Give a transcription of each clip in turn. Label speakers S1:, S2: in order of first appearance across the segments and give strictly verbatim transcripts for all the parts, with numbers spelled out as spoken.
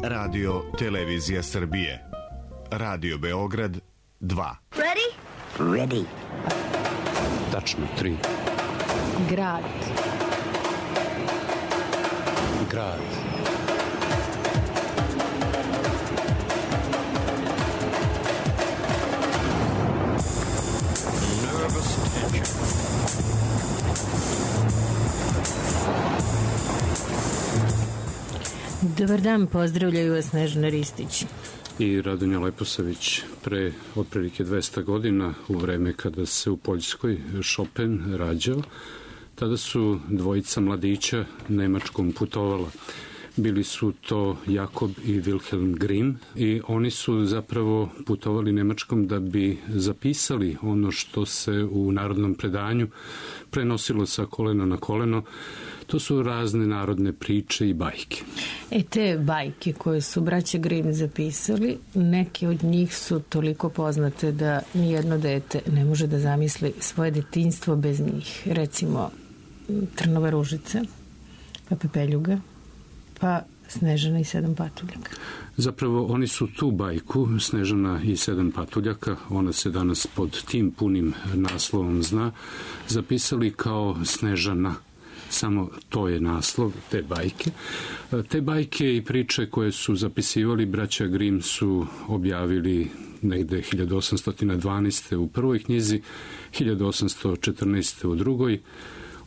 S1: Radio Televizija Srbije. Radio Beograd dva.
S2: Ready?
S3: Ready.
S4: Tačno tri.
S5: Grad.
S4: Grad.
S6: Nervous tension.
S5: Dobar dan, pozdravljaju vas Snežana Ristić
S4: i Radonja Leposavić. Pre otprilike dvesta godina, u vreme kada se u Poljskoj Chopin rađao, tada su dvojica mladića Nemačkom putovala. Bili su to Jakob i Wilhelm Grimm i oni su zapravo putovali Nemačkom da bi zapisali ono što se u narodnom predanju prenosilo sa kolena na koleno. To su razne narodne priče i bajke.
S5: E te bajke koje su braća Grimm zapisali, neke od njih su toliko poznate da nijedno dete ne može da zamisli svoje detinjstvo bez njih. Recimo Trnova ružica, pa Pepeljuga, pa Snežana i sedam patuljaka.
S4: Zapravo oni su tu bajku Snežana i sedam patuljaka, ona se danas pod tim punim naslovom zna, zapisali kao Snežana. Samo to je naslov te bajke. Te bajke i priče koje su zapisivali braća Grimm su objavili negde hiljadu osamsto dvanaeste. u prvoj knjizi, hiljadu osamsto četrnaeste. u drugoj.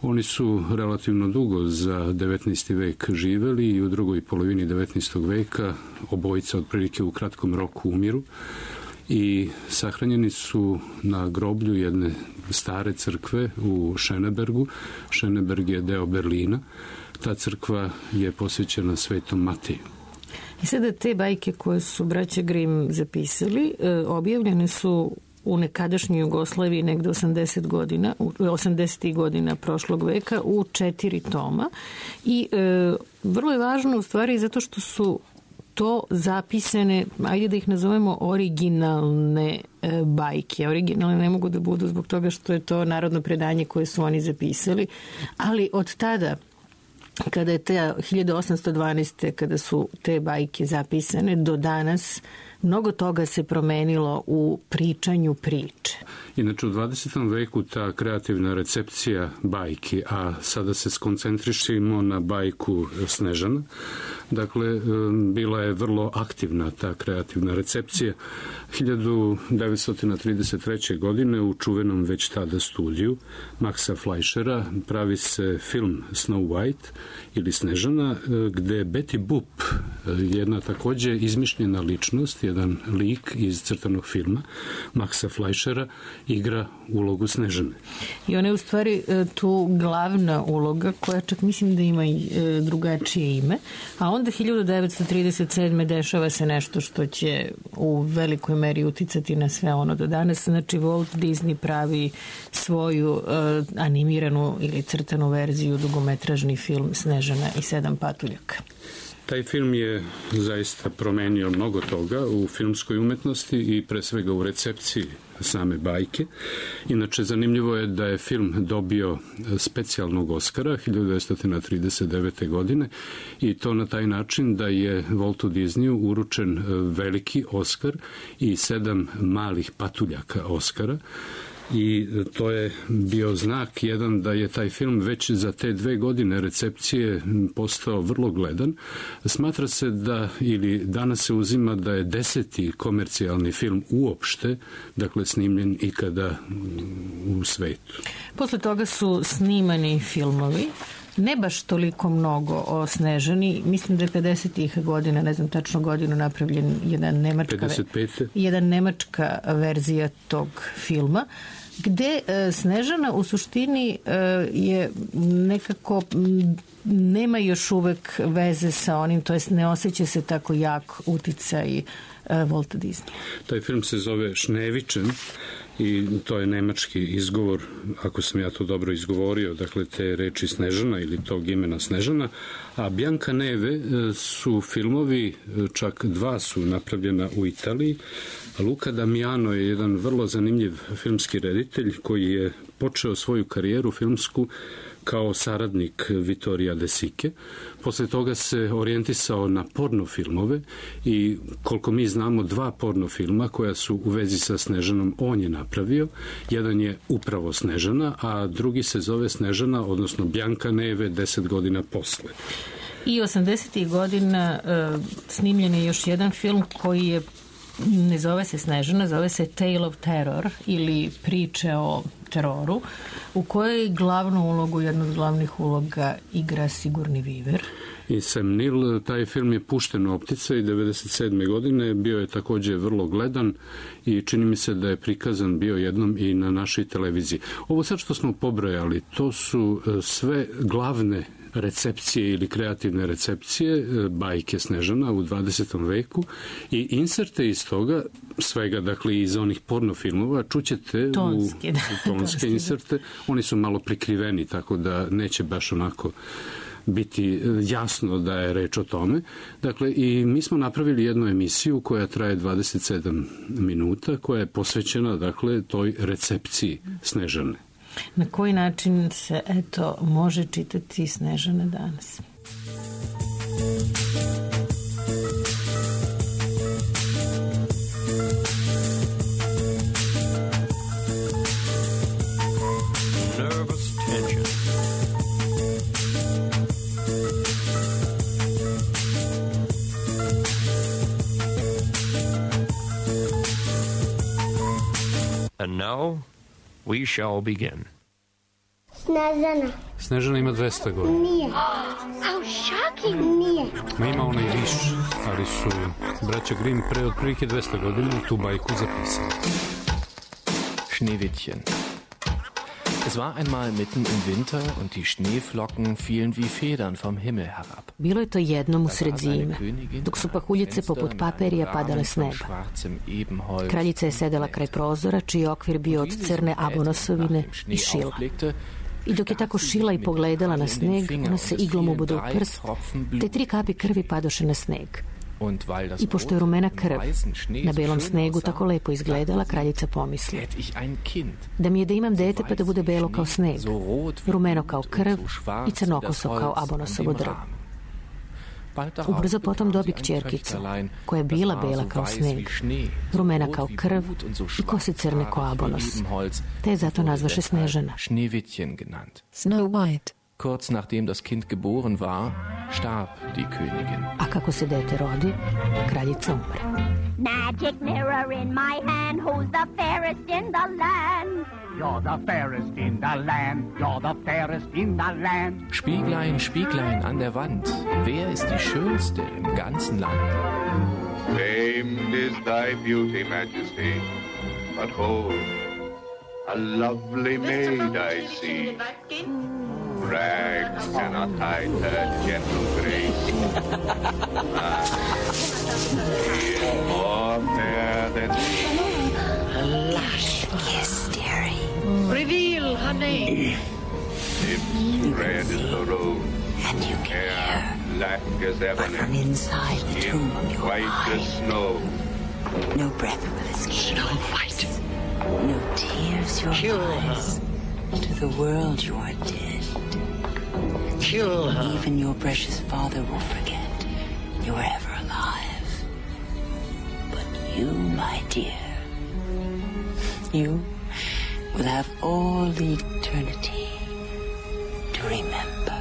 S4: Oni su relativno dugo za devetnaesti vek živeli i u drugoj polovini devetnaestog veka obojica otprilike u kratkom roku umiru i sahranjeni su na groblju jedne stare crkve u Schönebergu. Schöneberg je deo Berlina. Ta crkva je posvećena Svetom Mateju.
S5: I sada te bajke koje su braća Grimm zapisali, objavljene su u nekadašnjoj Jugoslaviji negde osamdeset godina, osamdesetih godina prošlog veka u četiri toma i e, vrlo je važno u stvari zato što su to zapisane, ajde da ih nazovemo originalne e, bajke. Originalne ne mogu da budu zbog toga što je to narodno predanje koje su oni zapisali, ali od tada kada je te hiljadu osamsto dvanaeste. kada su te bajke zapisane do danas, mnogo toga se promenilo u pričanju priče.
S4: Inače, u dvadesetom veku ta kreativna recepcija bajki, a sada se skoncentrišimo na bajku Snežana, dakle, bila je vrlo aktivna ta kreativna recepcija. hiljadu devetsto trideset treće. godine u čuvenom već tada studiju Maxa Fleischera pravi se film Snow White ili Snežana, gde Betty Boop, jedna takođe izmišljena ličnost, jedan lik iz crtanog filma Maxa Fleischera, igra ulogu Snežane.
S5: I ona je u stvari tu glavna uloga koja čak mislim da ima i drugačije ime, a onda hiljadu devetsto trideset sedme. dešava se nešto što će u velikoj meri uticati na sve ono do danas. Znači Walt Disney pravi svoju uh, animiranu ili crtanu verziju, dugometražni film Snežana i sedam patuljaka.
S4: Taj film je zaista promenio mnogo toga u filmskoj umetnosti i pre svega u recepciji same bajke. Inače, zanimljivo je da je film dobio specijalnog Oskara hiljadu devetsto trideset devete. godine i to na taj način da je Waltu Disneyu uručen veliki Oskar i sedam malih patuljaka Oskara. I to je bio znak jedan da je taj film već za te dve godine recepcije postao vrlo gledan. Smatra se da, ili danas se uzima da je deseti komercijalni film uopšte, dakle snimljen ikada u svetu.
S5: Posle toga su snimani filmovi, ne baš toliko mnogo o Snežani. Mislim da je pedesetih godina, ne znam tačno godinu, napravljen jedan nemačka,
S4: pedeset pete.
S5: jedan nemačka verzija tog filma, gde e, Snežana u suštini e, je nekako m, nema još uvek veze sa onim, to jest ne osjeća se tako jak uticaj e, Walta Disneya.
S4: Taj film se zove Schneewittchen i to je nemački izgovor, ako sam ja to dobro izgovorio, dakle te reči Snežana ili tog imena Snežana, a Bianca Neve su filmovi, čak dva su napravljena u Italiji. Luca Damiano je jedan vrlo zanimljiv filmski reditelj koji je počeo svoju karijeru filmsku kao saradnik Vittorija De Sique. Posle toga se orijentisao na pornofilmove i koliko mi znamo dva pornofilma koja su u vezi sa Snežanom on je napravio. Jedan je upravo Snežana, a drugi se zove Snežana, odnosno Bjanka Neve deset godina posle.
S5: I osamdesetih godina uh, snimljen je još jedan film koji je, ne zove se Snežana, zove se Tale of Terror ili priče o teroru, u kojoj glavnu ulogu, jednu od glavnih uloga igra Sigourney Weaver.
S4: I Sam Neill, taj film je pušten u optice i devedeset sedme godine, bio je takođe vrlo gledan i čini mi se da je prikazan bio jednom i na našoj televiziji. Ovo sad što smo pobrojali, to su sve glavne recepcije ili kreativne recepcije bajke Snežana u dvadesetom veku i inserte iz toga, svega, dakle, iz onih pornofilmova, čućete
S5: tonske,
S4: u,
S5: da.
S4: u tonske inserte. Oni su malo prikriveni, tako da neće baš onako biti jasno da je reč o tome. Dakle, i mi smo napravili jednu emisiju koja traje dvadeset sedam minuta, koja je posvećena, dakle, toj recepciji Snežane.
S5: Na koji način se, eto, može čitati Snežana danas?
S6: Nervous tension. And now we shall begin.
S2: Snežana.
S4: Snežana ima dvesta godina.
S2: Nije. How shocking. Nije.
S4: Ma ima ona i više, ali su braća Grimm pre otprilike dvesta godina tu bajku zapisali.
S3: Schneewittchen. Es war einmal mitten im Winter und die Schneeflocken fielen wie Federn vom Himmel herab.
S7: Bilo je to jednom usred zime, dok su pahuljice poput paperija padale s neba. Kraljica je sedela kraj prozora, čiji okvir bio od crne abonosovine i šila. I dok je tako šila i pogledala na sneg, ona se iglom uboda u prst, te tri kapi krvi padoše na sneg. I pošto je rumena krv na belom snegu tako lepo izgledala, kraljica pomisli: da mi je da imam dete pa da bude belo kao sneg, rumeno kao krv i crnokoso kao abonosovo drvo. Ubrzo potom dobi kćerkicu, koja je bila bela kao sneg, rumena kao krv i kose crne kao abonos, te je zato nazvaše Snežana.
S3: Snow White. Kurz nachdem das Kind geboren war, starb die Königin.
S7: A kako se dete rodi, kraljica umre.
S2: Magic mirror in my hand, who's the fairest in the land?
S8: You're the fairest in the land, you're the fairest in the land.
S3: Spieglein, Spieglein an der Wand, wer ist die Schönste im ganzen Land?
S9: Famed is thy beauty, Majesty, but hold, a lovely maid I see. Rags cannot hide her gentle grace. Ah, she is more fair than me.
S10: Lush kiss, dearie. Reveal her name.
S9: Lips red as the rose.
S10: And you can
S9: hair
S10: hear,
S9: black as ebony.
S10: from inside the tomb of your
S9: white
S10: mind.
S9: as snow.
S10: No breath will escape. Snow White. No tears your
S11: Kill
S10: eyes.
S11: her.
S10: To the world you are dead.
S11: Kill her.
S10: Even your precious father will forget you were ever alive. But you, my dear, you will have all eternity to remember.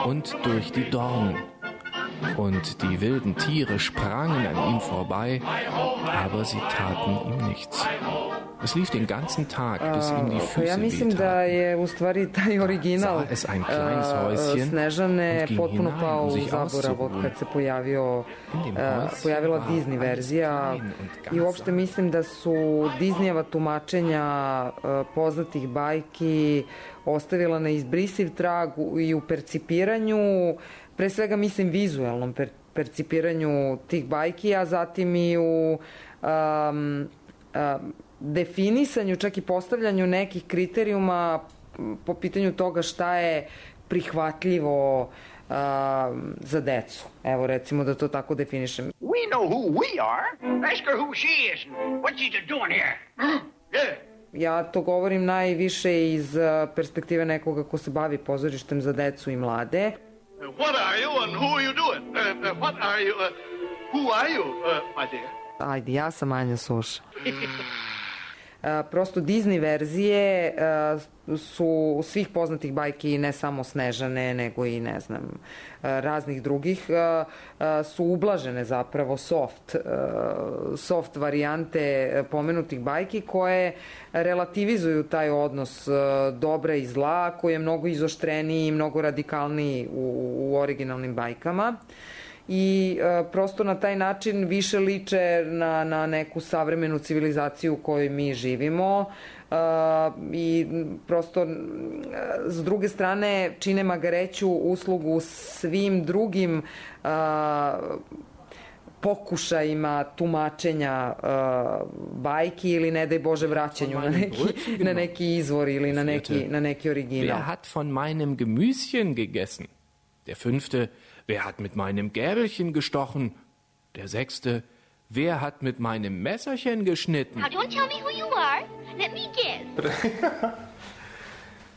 S3: Und durch die Dornen. und die wilden Tiere sprangen an ihm vorbei, aber sie taten ihm nichts. Es lief den ganzen Tag, bis ihm die Füße
S12: ja mislim da je u stvari taj original Snežane potpuno pao u zaborav od kad se pojavio, pojavila Disney verzija i uopšte mislim da su Disneyjeva tumačenja poznatih bajki ostavila neizbrisiv trag i u percipiranju, pre svega mislim vizualnom per, percipiranju tih bajki, a zatim i u um, um, definisanju, čak i postavljanju nekih kriterijuma po pitanju toga šta je prihvatljivo uh, za decu. Evo, recimo da to tako definišem.
S11: We know who we are. Ask her who she is and what she's doing here. Yeah.
S12: Ja to govorim najviše iz perspektive nekoga ko se bavi pozorištem za decu i mlade.
S9: What are you and who are you doing? Uh, uh, what are you? Uh, who are you, uh, my dear?
S12: Ajde, ja sam Anja Suša. Prosto Disney verzije su svih poznatih bajki, ne samo Snežane, nego i, ne znam, raznih drugih, su ublažene zapravo soft, soft varijante pomenutih bajki koje relativizuju taj odnos dobra i zla, koji je mnogo izoštreniji i mnogo radikalniji u, u originalnim bajkama. I e, prosto na taj način više liče na, na neku savremenu civilizaciju u kojoj mi živimo e, i prosto e, s druge strane čine magareću uslugu svim drugim e, pokušajima tumačenja e, bajki ili ne daj Bože vraćanju na neki, na neki izvor ili na neki, na neki original.
S3: Wer hat von meinem Gemüschen gegessen? Der fünfte, wer hat mit meinem Gäbelchen gestochen? Der sechste, wer hat mit meinem Messerchen geschnitten?
S2: Now don't tell me who you are. Let me guess.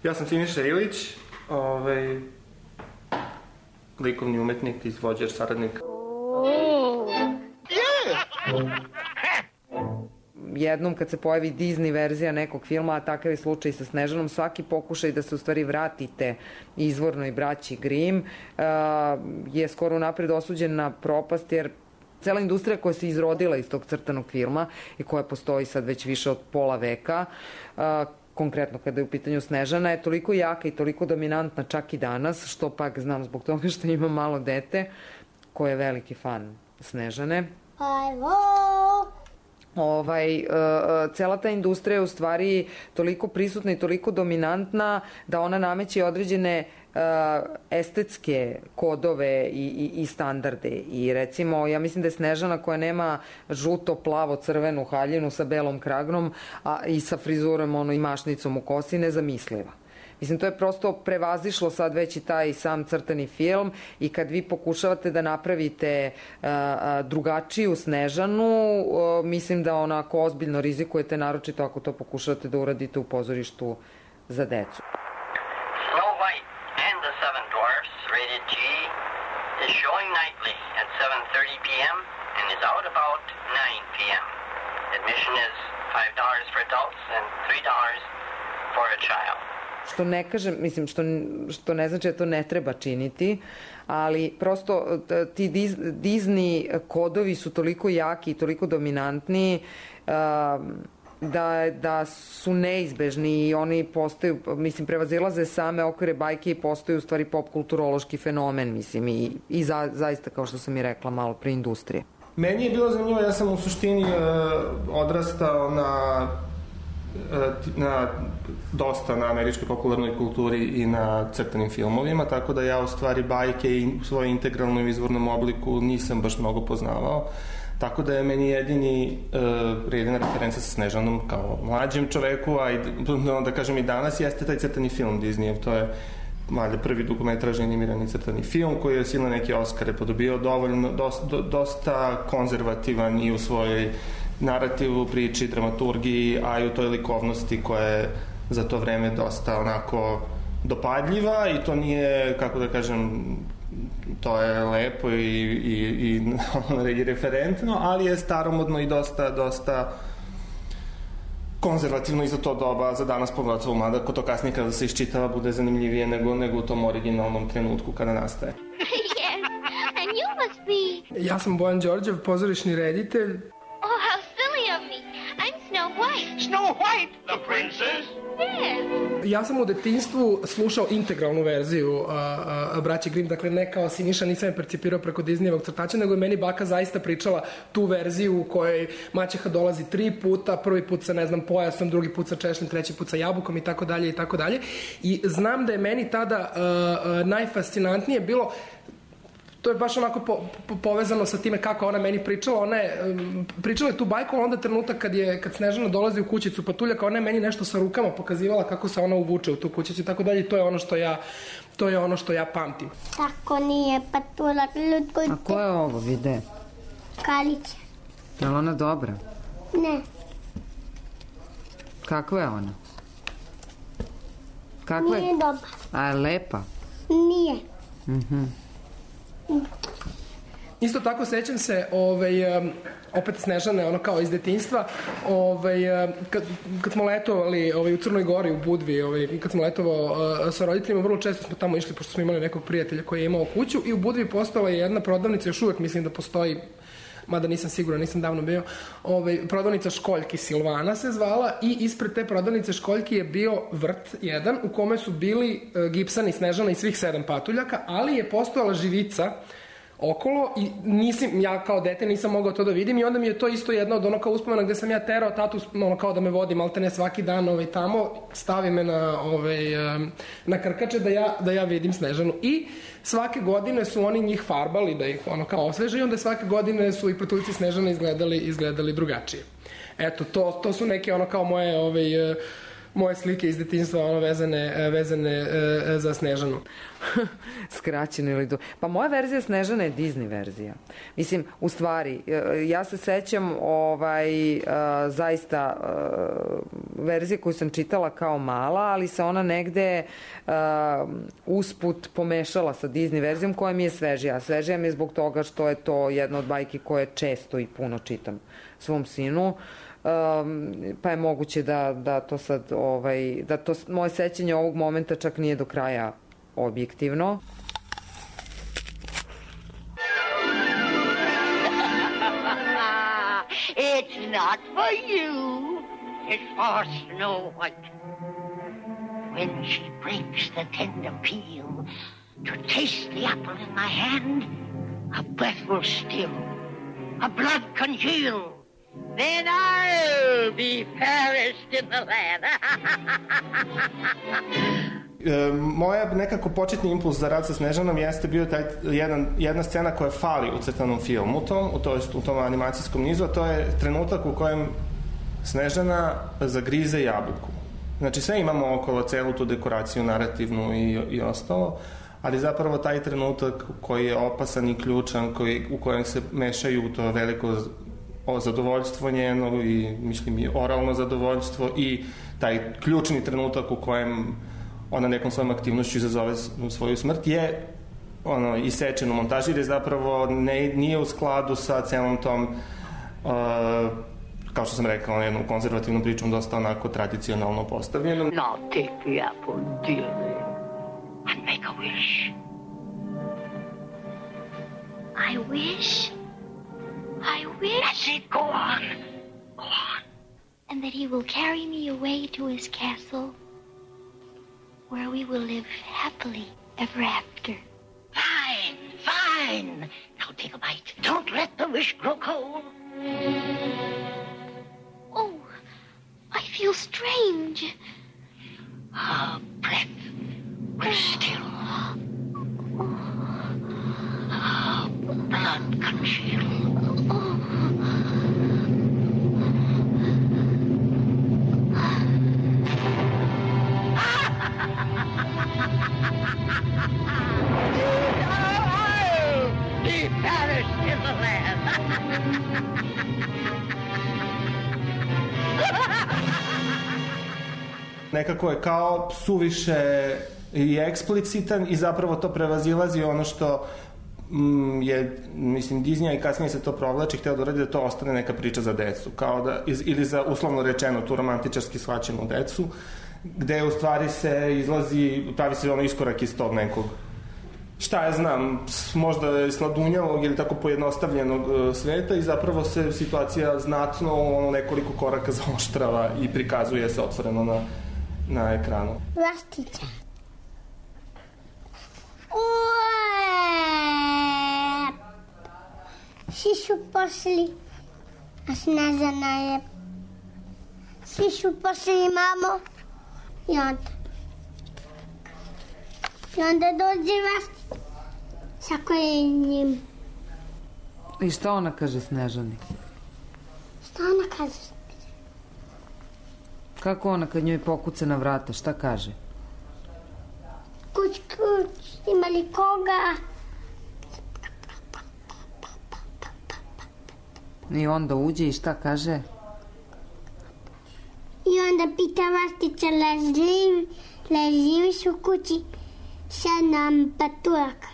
S13: Ja sam Siniša Ilić, ovaj, likovni umetnik, izvođač, saradnik.
S2: Oh.
S12: Yeah. Jednom kad se pojavi Disney verzija nekog filma, a takav je slučaj sa Snežanom, svaki pokušaj da se u stvari vratite izvornoj braći Grimm uh, je skoro napred osuđen na propast, jer cela industrija koja se izrodila iz tog crtanog filma i koja postoji sad već više od pola veka, uh, konkretno kada je u pitanju Snežana, je toliko jaka i toliko dominantna čak i danas, što pak znam zbog toga što ima malo dete koje je veliki fan Snežane.
S2: Hello!
S12: Ovaj, uh, cela ta industrija je u stvari toliko prisutna i toliko dominantna da ona nameće određene uh, estetske kodove i, i, i standarde. I recimo, ja mislim da je Snežana koja nema žuto, plavo, crvenu haljinu sa belom kragnom a, i sa frizurom ono, i mašnicom u kosi nezamisliva. Mislim, to je prosto prevazišlo sad već i taj sam crtani film i kad vi pokušavate da napravite uh, drugačiju Snežanu, uh, mislim da onako ozbiljno rizikujete, naročito ako to pokušavate da uradite u pozorištu za decu.
S14: Snow White and the Seven Dwarfs, rated G, is showing nightly at seven thirty p.m. and is out about nine p.m. Admission is five dollars for adults and three dollars for a child.
S12: Što ne kažem, mislim, što, što ne znači da to ne treba činiti, ali prosto ti Disney kodovi su toliko jaki i toliko dominantni uh, da, da su neizbežni i oni postaju, mislim, prevazilaze same okvire bajke i postaju u stvari popkulturološki fenomen, mislim, i, i za, zaista, kao što sam i rekla, malo pre industrije.
S13: Meni je bilo zanimljivo, ja sam u suštini uh, odrastao na na dosta na američkoj popularnoj kulturi i na crtanim filmovima, tako da ja u stvari bajke i u svojoj integralnom izvornom obliku nisam baš mnogo poznavao. Tako da je meni jedini uh, jedina referenca sa Snežanom kao mlađem čoveku, a i, da kažem i danas, jeste taj crtani film Disneyev. To je valjda prvi dokumentražni animirani crtani film koji je silne neke Oskare podobio, dovoljno, dosta, dosta konzervativan i u svojoj narativu, priči, dramaturgiji, a i u toj likovnosti koja je za to vreme dosta onako dopadljiva i to nije, kako da kažem, to je lepo i, i, i, i referentno, ali je staromodno i dosta, dosta konzervativno i za to doba, za danas pogotovo, mada ko to kasnije kada se iščitava bude zanimljivije nego, nego u tom originalnom trenutku kada nastaje.
S2: Yes, and you be?
S15: Ja sam Bojan Đorđev, pozorišni reditelj.
S2: Oh, how silly of me. I'm Snow White.
S11: Snow White, the princess?
S2: Yes.
S15: Ja sam u detinjstvu slušao integralnu verziju a, a, Braće Grimm, dakle ne kao Siniša, nisam je percipirao preko Disneyevog crtača, nego je meni baka zaista pričala tu verziju u kojoj maćeha dolazi tri puta, prvi put sa, ne znam, pojasom, drugi put sa češljom, treći put sa jabukom i tako dalje i tako dalje. I znam da je meni tada a, a, najfascinantnije bilo, to je baš onako po, po, povezano sa time kako ona meni pričala. Ona je um, pričala je tu bajku, a onda trenutak kad je kad Snežana dolazi u kućicu Patuljaka, ona je meni nešto sa rukama pokazivala kako se ona uvuče u tu kućicu i tako dalje. I to je ono što ja to je ono što ja pamtim.
S2: Tako nije Patuljak ljudko.
S12: A ko je ovo vide?
S2: Kalića.
S12: Je li ona dobra?
S2: Ne.
S12: Kakva je ona? Kakva je?
S2: Nije dobra.
S12: A je lepa?
S2: Nije.
S12: Mhm.
S15: Isto tako sećam se ovaj, um, opet Snežane, ono kao iz detinjstva, ovaj, um, kad, kad smo letovali ovaj, u Crnoj Gori, u Budvi, ovaj, kad smo letovao uh, sa roditeljima, vrlo često smo tamo išli, pošto smo imali nekog prijatelja koji je imao kuću, i u Budvi postojala je jedna prodavnica, još uvek mislim da postoji, mada nisam siguran, nisam davno bio, ovaj, prodavnica Školjki, Silvana se zvala, i ispred te prodavnice Školjki je bio vrt jedan u kome su bili uh, Gibson i Snežana i svih sedam patuljaka, ali je postojala živica okolo i nisam, ja kao dete nisam mogao to da vidim, i onda mi je to isto jedna od ono kao uspomena gde sam ja terao tatu ono kao da me vodi maltene svaki dan ovaj, tamo, stavi me na, ovaj, na krkače da ja, da ja vidim Snežanu, i svake godine su oni njih farbali da ih ono kao osveže, i onda svake godine su i patuljci Snežana izgledali, izgledali drugačije. Eto, to, to su neke ono kao moje ovaj, moje slike iz detinjstva, ono, vezane, vezane e, za Snežanu.
S12: Skraćeno ili do... Pa moja verzija Snežane je Disney verzija. Mislim, u stvari, ja se sećam ovaj, uh, zaista uh, verzije koju sam čitala kao mala, ali se ona negde uh, usput pomešala sa Disney verzijom koja mi je svežija. Svežija mi je zbog toga što je to jedna od bajki koje često i puno čitam svom sinu. Um, pa je moguće da, da to sad ovaj, da to moje sećanje ovog momenta čak nije do kraja objektivno.
S11: It's not for you, it's for Snow White. When she breaks the tender peel to taste the apple in my hand, her breath will still, her blood congeal. Then I'll be fairest in the land.
S13: e, moja nekako početni impuls za rad sa Snežanom jeste bio taj jedan, jedna scena koja fali u crtanom filmu, tom, u, to jest, u tom animacijskom nizu, a to je trenutak u kojem Snežana zagrize jabuku. Znači sve imamo okolo celu tu dekoraciju narativnu i, i ostalo, ali zapravo taj trenutak koji je opasan i ključan, koji, u kojem se mešaju to veliko o zadovoljstvo njeno i mislim i oralno zadovoljstvo i taj ključni trenutak u kojem ona nekom svojom aktivnošću izazove svoju smrt je ono isečen u montaži, jer je zapravo ne, nije u skladu sa celom tom uh, kao što sam rekao, jednom konzervativnom pričom dosta onako tradicionalno postavljenom.
S11: Now take the apple, dearie, and make a wish.
S2: I wish... I wish...
S11: That's it, go on. Go on.
S2: And that he will carry me away to his castle, where we will live happily ever after.
S11: Fine, fine. Now take a bite. Don't let the wish grow cold.
S2: Oh, I feel strange.
S11: Her breath will still. Her blood congeal. Be perished in the land.
S13: Nekako je kao suviše i eksplicitan i zapravo to prevazilazi ono što mm, je, mislim, Disney i kasnije se to provlači, hteo da uradi da to ostane neka priča za decu, kao da, ili za uslovno rečeno tu romantičarski shvaćenu decu, gde u stvari se izlazi, pravi se ono iskorak iz tog nekog šta ja znam, možda sladunjavog ili tako pojednostavljenog sveta i zapravo se situacija znatno ono, nekoliko koraka zaoštrava i prikazuje se otvoreno na, na ekranu.
S2: Vlastića. Svi su pošli, a Snežana je. Svi su pošli mamo i onda. I onda dođe Vlastića sa kojenjem.
S12: I šta ona kaže Snežani?
S2: Šta ona kaže?
S12: Kako ona kad njoj pokuca na vrata, šta kaže?
S2: Kuć, kuć, ima li koga?
S12: I onda uđe i šta kaže?
S2: I onda pita Vlastića, leži, leživiš u kući? Sedam paturaka.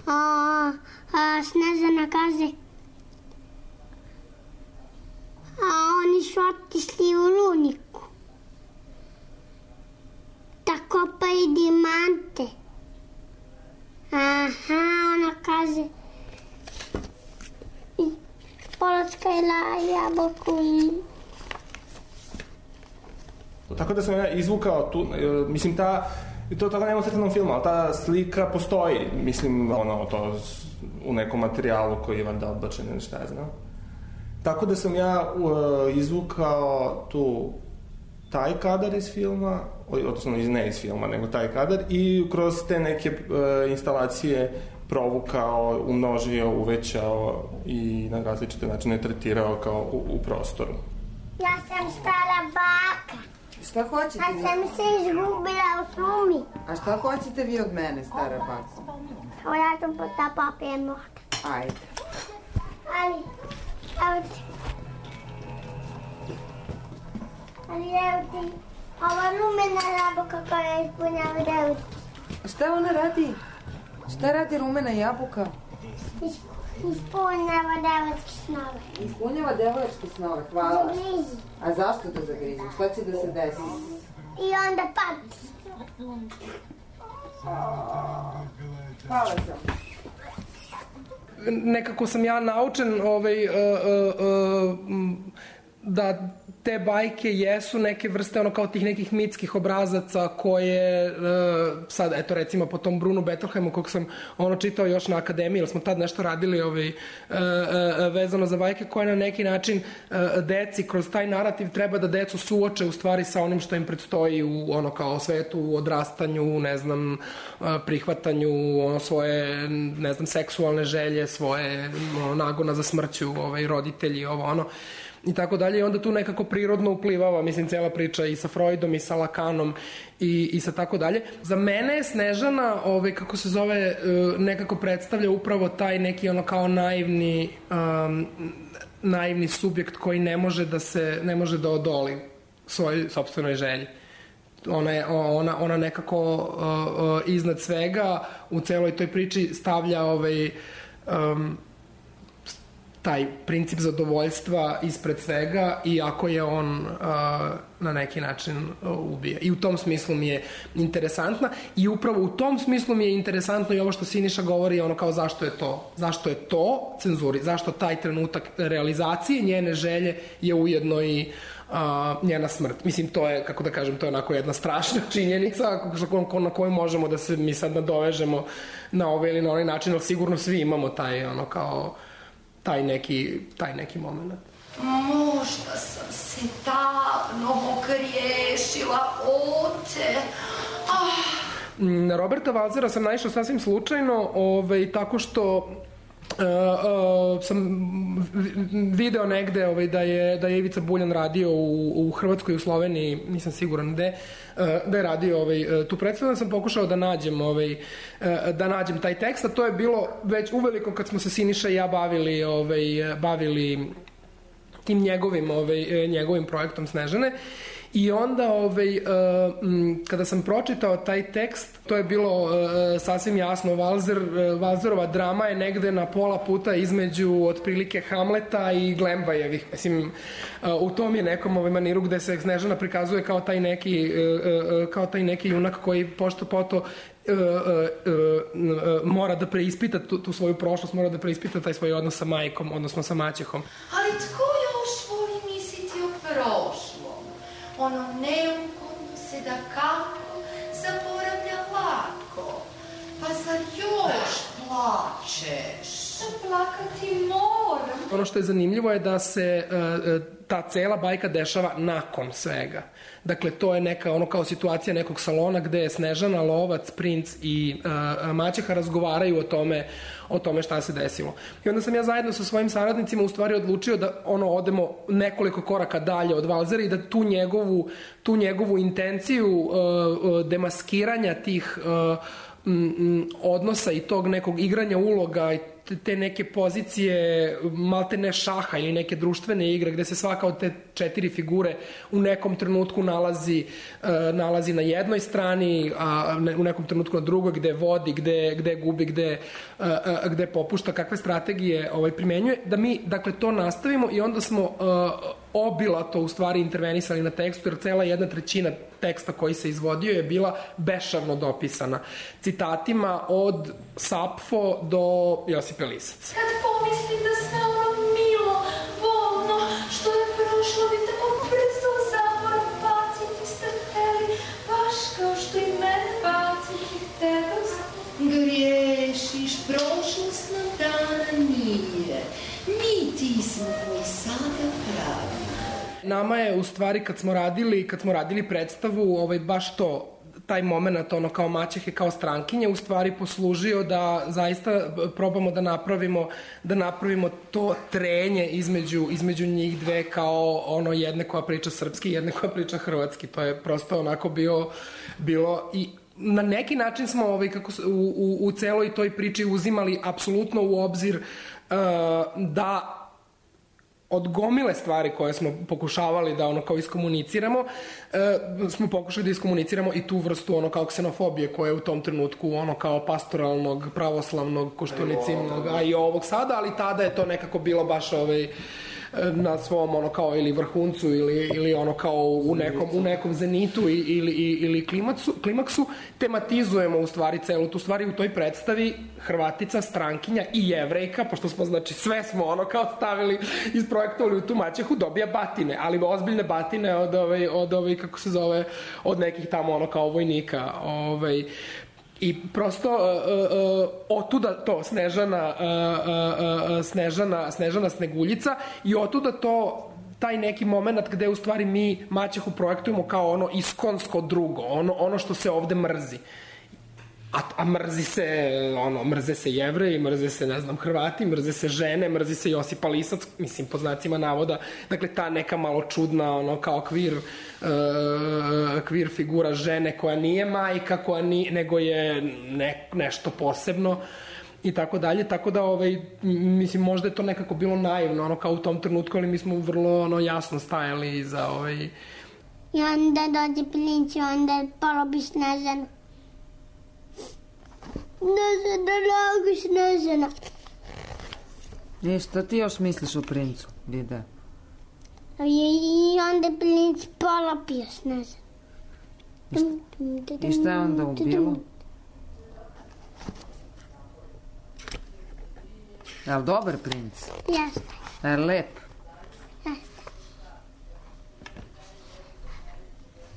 S2: A, a Snežana kaže, a oni su otišli u rudniku da kopaju dijamante. Aha, ona kaže, polackajla jabuku.
S13: Tako da sam ja izvukao tu, mislim ta, to tako nema u crtanom filmu, ali ta slika postoji, mislim, ono, to u nekom materijalu koji je vanda odbačen ili šta ja znam. Tako da sam ja uh, izvukao tu taj kadar iz filma, odnosno ne iz filma, nego taj kadar i kroz te neke uh, instalacije provukao, umnožio, uvećao i na različite načine tretirao kao u, u prostoru.
S2: Ja sam stara baka.
S12: Šta hoćete vi?
S2: Ja sam se izgubila u šumi.
S12: A šta hoćete vi od mene, stara baka?
S2: Evo ja sam pota papir možda.
S12: Ajde.
S2: Ali, evo ti. Ali evo ti, ova rumena jabuka koja ispunjava evo ti.
S12: Šta ona radi? Šta radi rumena jabuka?
S2: Ispunjava devojačke snove.
S12: Ispunjava devojačke snove, hvala.
S2: Zagrizi.
S12: A zašto da zagrizi? Šta će da se desi?
S2: I onda pati.
S12: Hvala sam.
S15: Nekako sam ja naučen ovaj, uh, uh, uh, da te bajke jesu neke vrste ono kao tih nekih mitskih obrazaca koje uh, sad eto recimo po tom Brunu Bettelheimu kog sam ono čitao još na akademiji, jer smo tad nešto radili ovaj, uh, uh, vezano za bajke koje na neki način uh, deci kroz taj narativ treba da decu suoče u stvari sa onim što im predstoji u ono kao svetu, u odrastanju, ne znam, uh, prihvatanju ono svoje, ne znam, seksualne želje, svoje ono, nagona za smrću, ovaj, roditelji, ovo ono i tako dalje i onda tu nekako prirodno uplivava, mislim, cela priča i sa Freudom i sa Lakanom i, i sa tako dalje. Za mene je Snežana, ovaj, kako se zove, nekako predstavlja upravo taj neki ono kao naivni um, naivni subjekt koji ne može da se, ne može da odoli svojoj sopstvenoj želji. Ona, je, ona, ona nekako uh, uh, iznad svega u celoj toj priči stavlja ovaj um, taj princip zadovoljstva ispred svega i ako je on uh, na neki način uh, ubije. I u tom smislu mi je interesantna i upravo u tom smislu mi je interesantno i ovo što Siniša govori ono kao zašto je to, zašto je to cenzuri, zašto taj trenutak realizacije njene želje je ujedno i uh, njena smrt. Mislim, to je, kako da kažem, to je onako jedna strašna činjenica na koju možemo da se mi sad nadovežemo na ovaj ili na onaj način, ali sigurno svi imamo taj ono kao taj neki, taj neki moment.
S16: Možda sam se davno pogriješila, oče. Ah.
S15: Na Roberta Valzera sam naišla sasvim slučajno, ovaj, tako što Uh, uh, sam video negde ovaj, da, je, da je Ivica Buljan radio u, u Hrvatskoj i u Sloveniji, nisam siguran gde, uh, da je radio ovaj, tu predstavu, sam pokušao da nađem, ovaj, uh, da nađem taj tekst, a to je bilo već uveliko kad smo se Siniša i ja bavili, ovaj, bavili tim njegovim, ovaj, njegovim projektom Snežane. I onda, ovaj, uh, kada sam pročitao taj tekst, to je bilo uh, sasvim jasno. Valzer, uh, Valzerova drama je negde na pola puta između otprilike Hamleta i Glembajevih. Mislim, uh, u tom je nekom ovaj maniru gde se Snežana prikazuje kao taj neki, uh, uh, kao taj neki junak koji pošto poto uh, uh, uh, mora da preispita tu, tu svoju prošlost, mora da preispita taj svoj odnos sa majkom, odnosno sa maćehom.
S16: Ali tko još voli misliti o prošlom? Ono neugodno se da kako zaboravlja lako. Pa zar još plačeš? Plakati moram.
S15: Ono što je zanimljivo je da se uh, ta cela bajka dešava nakon svega. Dakle, to je neka, ono kao situacija nekog salona gde je Snežana, Lovac, Princ i uh, maćeha razgovaraju o tome, o tome šta se desilo. I onda sam ja zajedno sa svojim saradnicima u stvari odlučio da ono odemo nekoliko koraka dalje od Valzera i da tu njegovu, tu njegovu intenciju uh, demaskiranja tih uh, m, odnosa i tog nekog igranja uloga i te neke pozicije malte ne šaha ili neke društvene igre gde se svaka od te četiri figure u nekom trenutku nalazi, uh, nalazi na jednoj strani, a u nekom trenutku na drugoj, gde vodi, gde, gde gubi, gde, uh, uh, gde popušta, kakve strategije ovaj, primenjuje, da mi dakle to nastavimo i onda smo uh, obilato u stvari intervenisali na tekstu, jer cela jedna trećina teksta koji se izvodio je bila bešavno dopisana citatima od Sapfo do Josipe Lisac.
S16: Kad pomislim da sve ono milo, volno, što je prošlo, vi tako brzo zaborav baciti ste hteli, baš kao što i mene baciti hteli. Griješiš, prošlost nam dana nije. Mi ti smo koji sada pravi.
S15: Nama je u stvari kad smo radili, kad smo radili predstavu, ovaj, baš to, taj moment, ono kao maćehe, kao strankinje, u stvari poslužio da zaista probamo da napravimo, da napravimo to trenje između, između njih dve kao ono jedne koja priča srpski i jedne koja priča hrvatski. To je prosto onako bio, bilo i na neki način smo ovaj, kako, u, u, u celoj toj priči uzimali apsolutno u obzir uh, da od gomile stvari koje smo pokušavali da ono kao iskomuniciramo, e, smo pokušali da iskomuniciramo i tu vrstu ono kao ksenofobije koja je u tom trenutku ono kao pastoralnog, pravoslavnog, koštunicimnog, a i ovog sada, ali tada je to nekako bilo baš ovaj na svom ono kao ili vrhuncu ili, ili ono kao u nekom, u nekom zenitu ili, ili klimaksu, klimaksu, tematizujemo u stvari celu tu stvari u toj predstavi Hrvatica, strankinja i Jevrejka, pošto smo znači sve smo ono kao stavili, isprojektovali u tu maćehu, dobija batine, ali ozbiljne batine od ovaj, od ovaj kako se zove, od nekih tamo ono kao vojnika, ovaj. I prosto uh, uh, otuda to Snežana, uh, uh, Snežana, Snežana Sneguljica i otuda to taj neki moment gde u stvari mi maćehu projektujemo kao ono iskonsko drugo, ono, ono što se ovde mrzi. A, a mrzi se, ono, mrze se Jevreji, mrze se, ne znam, Hrvati, mrze se žene, mrzi se Josipa Lisac, mislim, po znacima navoda. Dakle, ta neka malo čudna, ono, kao kvir, uh, kvir figura žene koja nije majka, koja nije, nego je ne, nešto posebno i tako dalje. Tako da, ovaj, mislim, možda je to nekako bilo naivno, ono, kao u tom trenutku, ali mi smo vrlo, ono, jasno stajali za, ovaj...
S17: I onda dođe princ i onda porobi Snežanu. Snežana, drago Snežana.
S12: E, šta ti još misliš o princu, Vida?
S17: I onda princ polopio Snežanu.
S12: I šta je onda ubilo? Je li dobar princ?
S17: Jeste.
S12: Je li lep?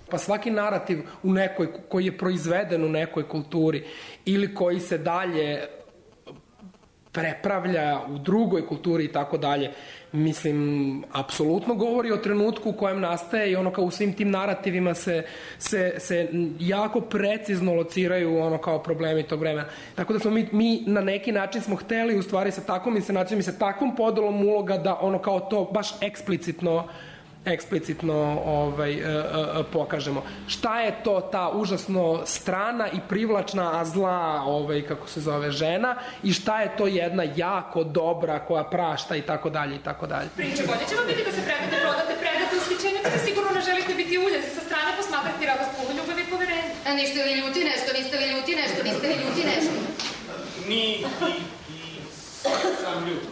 S15: Pa svaki narativ u nekoj, koji je proizveden u nekoj kulturi ili koji se dalje prepravlja u drugoj kulturi i tako dalje, mislim, apsolutno govori o trenutku u kojem nastaje i ono kao u svim tim narativima se, se, se jako precizno lociraju ono kao problemi tog vremena. Tako da smo mi, mi na neki način smo hteli u stvari sa takvom inscenacijom i sa takvom podelom uloga da ono kao to baš eksplicitno eksplicitno ovaj, uh, uh, pokažemo. Šta je to ta užasno strana i privlačna, a zla, ovaj, kako se zove, žena i šta je to jedna jako dobra koja prašta i tako dalje i tako dalje.
S18: Priče, bolje će vam biti da se predate, prodate, predate ushićenje, kada sigurno ne želite biti uljezi sa strane, posmatrati radost puno ljubavi i poverenja.
S19: A niste li ljuti nešto, niste li ljuti nešto, niste li ljuti nešto?
S20: Ni, i, i sam ljut.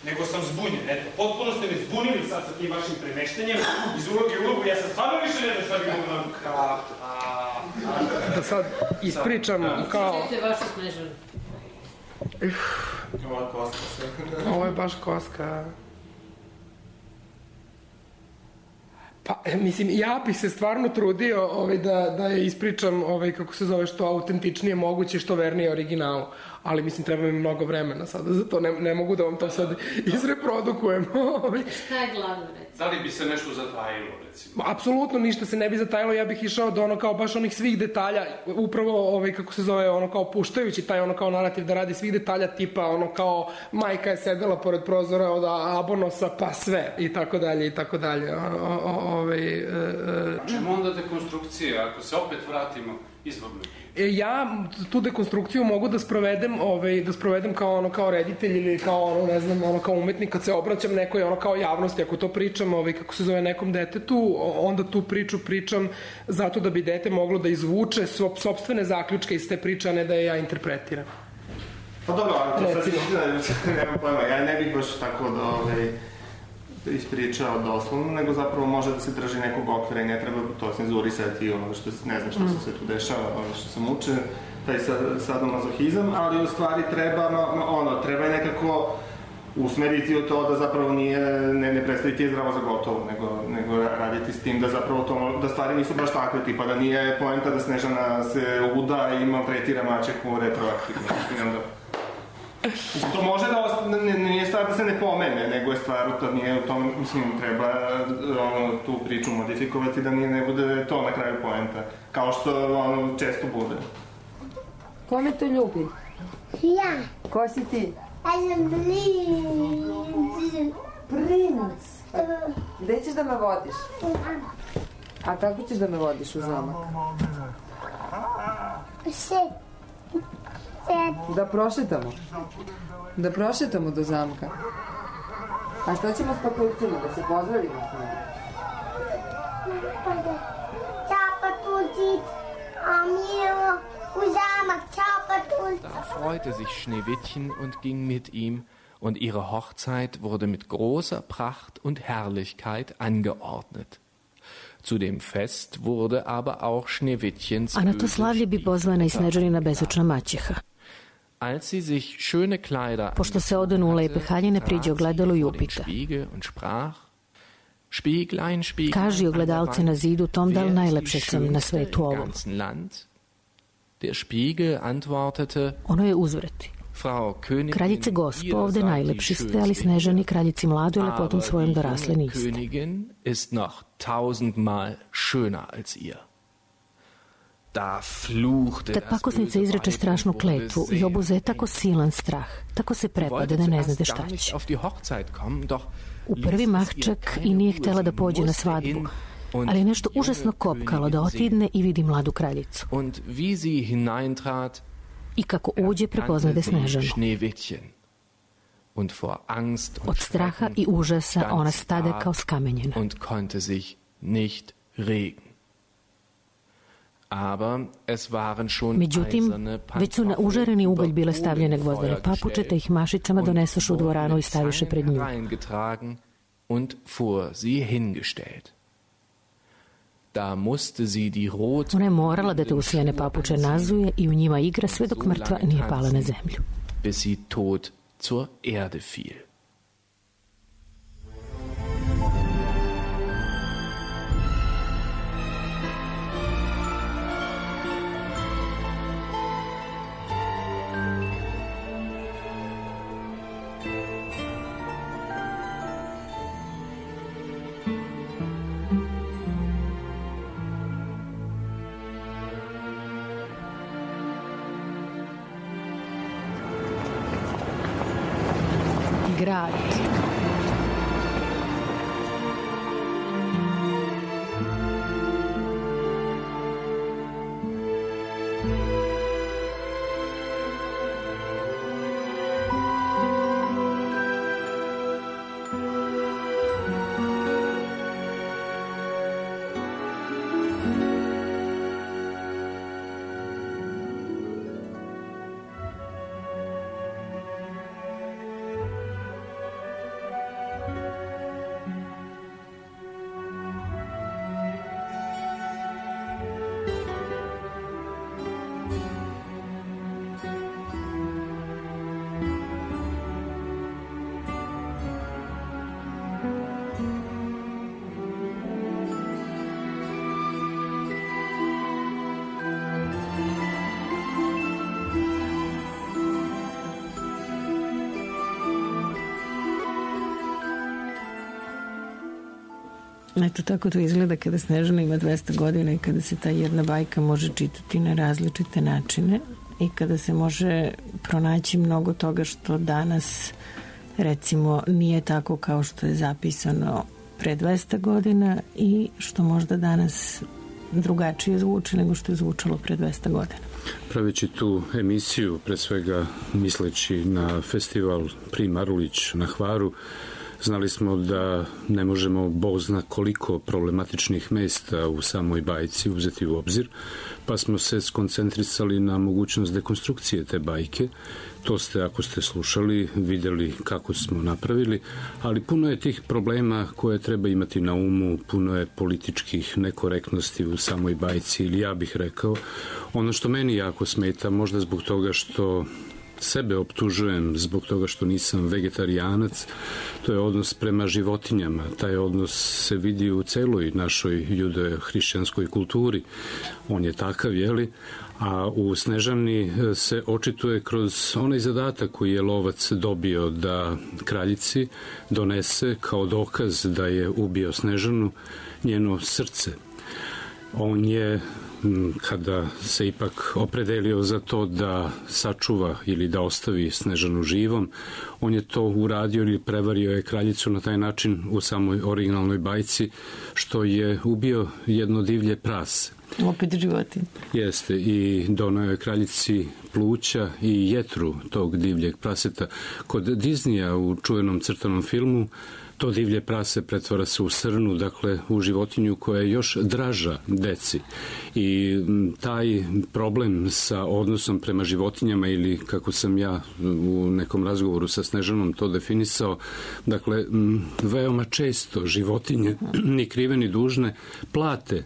S20: Nego sam zbunjen, eto, potpuno ste me zbunili sad sa tim vašim premeštenjem iz uloge u ulogu, ja sam stvarno više ne znam šta bi mogu nam... Ka, a...
S15: da sad ispričam kao...
S5: Vidite vašu Snežanu.
S13: Ovo je koska sve.
S15: Ovo je baš koska. Pa, mislim, ja bih se stvarno trudio ovaj, da, da je ispričam, ovaj, kako se zove, što autentičnije moguće, što vernije originalu. Ali, mislim, treba mi mnogo vremena sada, zato ne, ne mogu da vam to sad izreprodukujem.
S5: Šta je glavno, recimo?
S4: Da li bi se nešto zatajilo, recimo?
S15: Apsolutno ništa se ne bi zatajilo, ja bih išao do ono kao baš onih svih detalja, upravo ovaj, kako se zove, ono kao puštajući taj ono kao narativ da radi svih detalja tipa ono kao majka je sedela pored prozora od Abonosa pa sve i tako dalje i tako dalje. Ovaj,
S4: Čemu onda dekonstrukcija, ako se opet vratimo izvorno?
S15: Ja tu dekonstrukciju mogu da sprovedem, ovaj, da sprovedem kao ono kao reditelj ili kao ono, ne znam, ono kao umetnik kad se obraćam nekoj ono kao javnosti, ako to pričam, ovaj, kako se zove, nekom detetu, onda tu priču pričam zato da bi dete moglo da izvuče sopstvene zaključke iz te priče, a ne da je ja interpretiram.
S13: Pa dobro, ali to sad nemam pojma, ja ne bih baš tako da ovaj, ispričao doslovno, nego zapravo može da se drži nekog okvira i ne treba to cenzurisati, ono što ne znam što se sve tu dešava, ono što sam učen, taj sadomazohizam, ali u stvari treba, ono, treba je nekako usmeriti u to da zapravo nije, ne, ne predstaviti je zdravo za gotovo, nego, nego raditi s tim da zapravo to, da stvari nisu baš takve, tipa da nije poenta da Snežana se uda i maltretira maćehu retroaktivno, da... To može da ostane, nije stvar da se ne pomene, nego je stvar da nije u tom, mislim, treba ono, tu priču modifikovati da nije, ne bude to na kraju poenta, kao što ono često bude.
S12: Ko me to ljubi?
S17: Ja.
S12: Ko si ti?
S17: Ja sam princ.
S12: Princ? Gde ćeš da me vodiš? A kako ćeš da me vodiš u zamak?
S17: Se.
S12: Da prošetamo? Da prošetamo do zamka? A šta ćemo s papucima? Da se pozdravimo s njima?
S17: Ćao Patucic, a mi idemo u zamak. Ćao Patucic.
S3: Da freute sich Schneewittchen und ging mit ihm, und ihre Hochzeit wurde mit großer Pracht und Herrlichkeit angeordnet. Zu dem Fest wurde aber auch Schneewittchens
S7: A na to slavlje bi pozvana i Snežanina bezočna maćeha.
S3: Als sie sich schöne Kleider
S7: Pošto se odanu u lepe haljine, priđe ogledalo i upita. Kaži ogledalce na zidu tom da li najlepše sam na svetu ovom.
S3: Der Spiegel antwortete:
S7: Ono je uzvrati. Kraljice gospo, ovde najlepši ste, ali Snežani, kraljici mladoj, lepotom svojom dorasle niste.
S3: Königin ist noch tausendmal schöner als ihr.
S7: Tad pakosnica izreče strašnu kletvu i obuze je tako silan strah, tako se prepade da ne znade šta će. U prvi mah čak i nije htela da pođe na svadbu, ali je nešto užasno kopkalo da otidne i vidi mladu kraljicu. I kako uđe, prepoznade Snežanu. Od straha i užasa ona stade kao skamenjena. Međutim, već su na užareni ugalj bile stavljene gvozdene papuče, te ih mašicama donesoše u dvoranu i staviše pred nju. Ona je morala da te usijane papuče nazuje i u njima igra sve dok mrtva nije pala na zemlju.
S3: Bis sie tot zur Erde fiel.
S5: Grad. Eto, tako to izgleda kada Snežana ima dvesta godina i kada se ta jedna bajka može čitati na različite načine i kada se može pronaći mnogo toga što danas, recimo, nije tako kao što je zapisano pre dvesta godina i što možda danas drugačije zvuči nego što je zvučalo pre dvesta godina.
S4: Praveći tu emisiju, pre svega misleći na festival Pri Marulić na Hvaru, znali smo da ne možemo Bog zna koliko problematičnih mesta u samoj bajci uzeti u obzir, pa smo se skoncentrisali na mogućnost dekonstrukcije te bajke. To ste, ako ste slušali, videli kako smo napravili, ali puno je tih problema koje treba imati na umu, puno je političkih nekorektnosti u samoj bajci, ili ja bih rekao, ono što meni jako smeta, možda zbog toga što sebe optužujem zbog toga što nisam vegetarijanac, to je odnos prema životinjama. Taj odnos se vidi u celoj našoj judeo-hrišćanskoj kulturi. On je takav, jeli? A u Snežani se očituje kroz onaj zadatak koji je lovac dobio da kraljici donese kao dokaz da je ubio Snežanu njeno srce. On je, kada se ipak opredelio za to da sačuva ili da ostavi Snežanu živom, on je to uradio ili prevario je kraljicu na taj način u samoj originalnoj bajci, što je ubio jedno divlje prase.
S5: Opet životinje.
S4: Jeste, i donao je kraljici pluća i jetru tog divljeg praseta. Kod Disneya u čuvenom crtanom filmu to divlje prase pretvara se u srnu, dakle u životinju koja je još draža deci. I taj problem sa odnosom prema životinjama, ili kako sam ja u nekom razgovoru sa Snežanom to definisao, dakle veoma često životinje, ni krive ni dužne, plate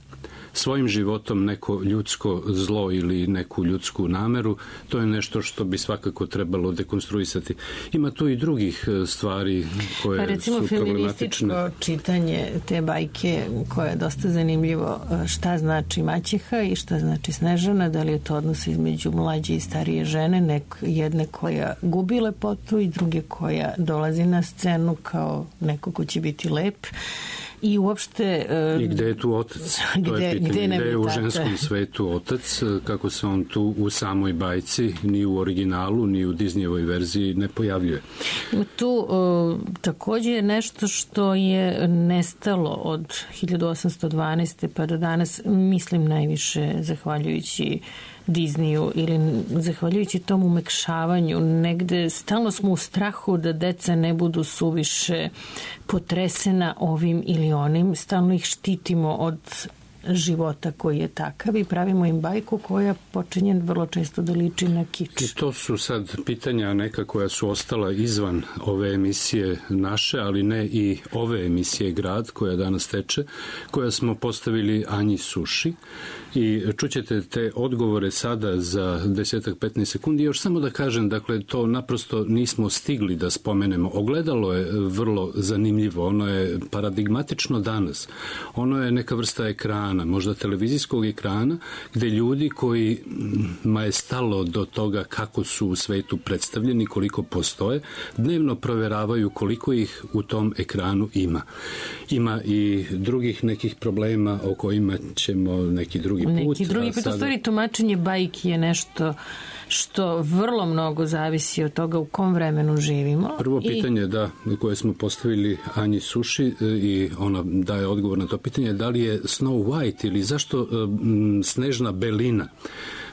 S4: svojim životom neko ljudsko zlo ili neku ljudsku nameru. To je nešto što bi svakako trebalo dekonstruisati. Ima tu i drugih stvari koje pa recimo, su problematične.
S5: Feminističko čitanje te bajke koje je dosta zanimljivo, šta znači maćeha i šta znači Snežana, da li je to odnos između mlađe i starije žene, nek, jedne koja gubi lepotu i druge koja dolazi na scenu kao neko ko će biti lep. I uopšte... Uh,
S4: I gde je tu otac?
S5: Gde,
S4: to je pitanje.
S5: Gde,
S4: gde je u ženskom svetu otac? Kako se on tu u samoj bajci, ni u originalu, ni u Disneyevoj verziji ne pojavljuje?
S5: Tu uh, takođe je nešto što je nestalo od hiljadu osamsto dvanaeste pa do danas, mislim najviše zahvaljujući Disneyu ili zahvaljujući tom umekšavanju. Negde stalno smo u strahu da deca ne budu suviše potresena ovim ili onim. Stalno ih štitimo od života koji je takav i pravimo im bajku koja počinje vrlo često da liči na kič.
S4: I to su sad pitanja neka koja su ostala izvan ove emisije naše, ali ne i ove emisije Grad koja danas teče, koja smo postavili Anji Suši. I čućete te odgovore sada za desetak petnaest sekundi. Još samo da kažem, dakle, to naprosto nismo stigli da spomenemo. Ogledalo je vrlo zanimljivo. Ono je paradigmatično danas. Ono je neka vrsta ekrana, možda televizijskog ekrana, gde ljudi kojima je stalo do toga kako su u svetu predstavljeni, koliko postoje, dnevno proveravaju koliko ih u tom ekranu ima. Ima i drugih nekih problema o kojima ćemo neki drugi put.
S5: Neki drugi put, u stvari tumačenje bajki je nešto što vrlo mnogo zavisi od toga u kom vremenu živimo.
S4: Prvo pitanje, I... da, koje smo postavili Anji Suši i ona daje odgovor na to pitanje, da li je Snow White ili zašto m, Snežna belina?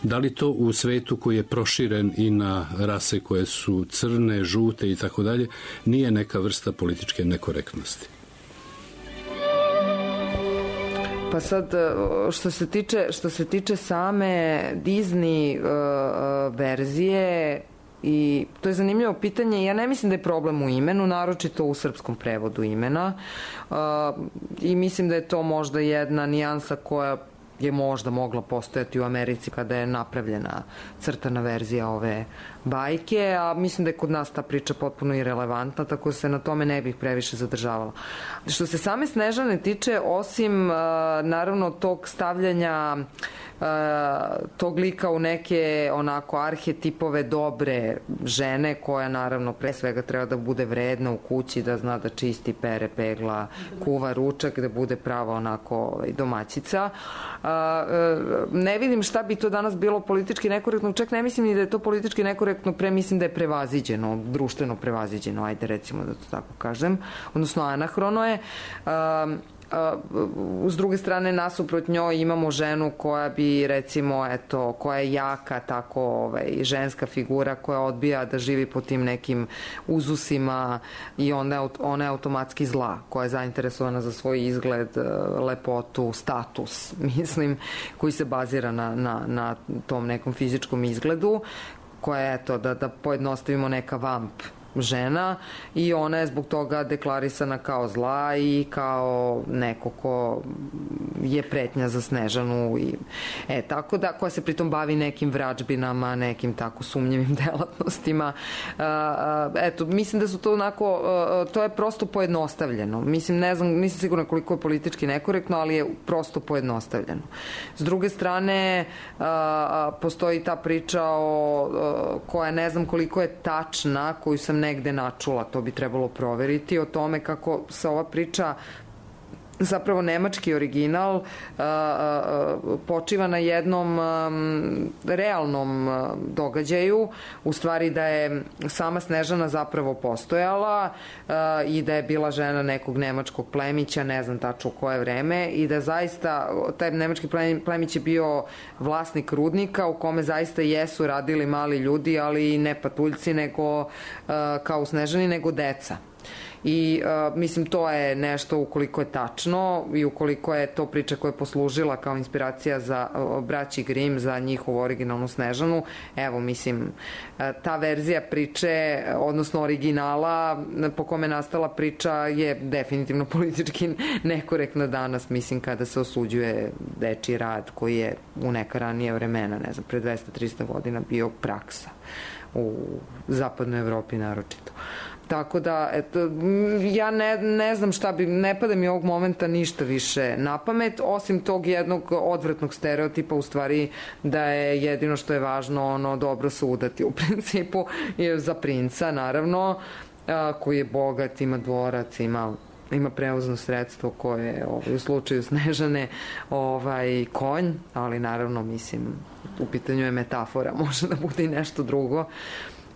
S4: Da li to u svetu koji je proširen i na rase koje su crne, žute i tako dalje, nije neka vrsta političke nekorektnosti?
S12: Pa sad, što se tiče, što se tiče same Disney uh, verzije, i to je zanimljivo pitanje, ja ne mislim da je problem u imenu, naročito u srpskom prevodu imena, uh, i mislim da je to možda jedna nijansa koja je možda mogla postojati u Americi kada je napravljena crtana verzija ove bajke, a mislim da je kod nas ta priča potpuno irelevantna, tako se na tome ne bih previše zadržavala. Što se same Snežane tiče, osim naravno tog stavljanja tog lika u neke onako arhetipove dobre žene koja naravno pre svega treba da bude vredna u kući, da zna da čisti, pere, pegla, kuva ručak, da bude prava onako domaćica. Ne vidim šta bi to danas bilo politički nekorektno, čak ne mislim ni da je to politički nekorektno, pre mislim da je prevaziđeno, društveno prevaziđeno, ajde recimo da to tako kažem, odnosno anahrono je. S druge strane, nasuprot njoj imamo ženu koja bi, recimo, eto, koja je jaka, tako ovaj, ženska figura koja odbija da živi po tim nekim uzusima i onda ona je automatski zla, koja je zainteresovana za svoj izgled, lepotu, status, mislim, koji se bazira na, na, na tom nekom fizičkom izgledu, koja je, eto, da, da pojednostavimo, neka vamp žena i ona je zbog toga deklarisana kao zla i kao neko ko je pretnja za Snežanu i, e, tako da, koja se pritom bavi nekim vračbinama, nekim tako sumnjivim delatnostima. Eto, mislim da su to onako, to je prosto pojednostavljeno. Mislim, ne znam, nisam sigurna koliko je politički nekorektno, ali je prosto pojednostavljeno. S druge strane, postoji ta priča o, koja ne znam koliko je tačna, koju sam negde načula, to bi trebalo proveriti, o tome kako se ova priča, zapravo nemački original, počiva na jednom realnom događaju, u stvari da je sama Snežana zapravo postojala i da je bila žena nekog nemačkog plemića, ne znam tačno u koje vreme, i da zaista taj nemački plemić je bio vlasnik rudnika u kome zaista jesu radili mali ljudi, ali ne patuljci, nego kao u Snežani, nego deca. I uh, mislim, to je nešto ukoliko je tačno i ukoliko je to priča koja je poslužila kao inspiracija za uh, braći Grimm, za njihovu originalnu Snežanu. Evo, mislim, uh, ta verzija priče, odnosno originala po kome je nastala priča, je definitivno politički nekorektna danas, mislim, kada se osuđuje dečiji rad koji je u neka ranije vremena, ne znam, pre dvesta do trista godina bio praksa u zapadnoj Evropi naročito. Tako da, eto, ja ne, ne znam šta bi, ne pada mi ovog momenta ništa više na pamet, osim tog jednog odvratnog stereotipa, u stvari da je jedino što je važno ono dobro se udati u principu za princa, naravno, a, koji je bogat, ima dvorac, ima ima prevozno sredstvo koje ovaj, u slučaju Snežane ovaj, konj, ali naravno, mislim, u pitanju je metafora, može da bude i nešto drugo.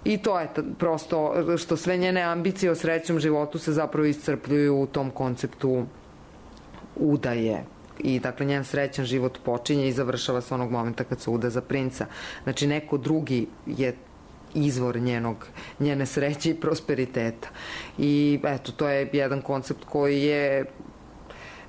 S12: I to je prosto što sve njene ambicije o srećnom životu se zapravo iscrpljuju u tom konceptu udaje. I dakle, njen srećan život počinje i završava se onog momenta kad se uda za princa. Znači, neko drugi je izvor njenog, njene sreće i prosperiteta. I eto, to je jedan koncept koji je